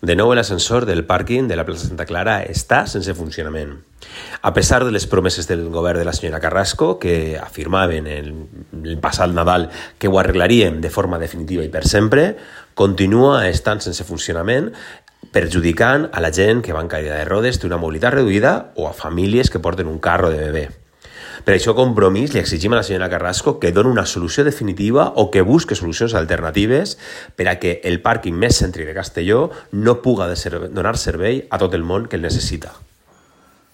De nou, l'ascensor del pàrquing de la plaça Santa Clara està sense funcionament. A pesar de les promeses del govern de la senyora Carrasco, que afirmaven el passat Nadal que ho arreglaríem de forma definitiva i per sempre, continua estant sense funcionament, perjudicant a la gent que va en cadira de rodes, té una mobilitat reduïda, o a famílies que porten un carro de bebè. Per això, Compromís, li exigim a la senyora Carrasco que doni una solució definitiva o que busque solucions alternatives per a que el pàrquing més cèntric de Castelló no puga donar servei a tot el món que el necessita.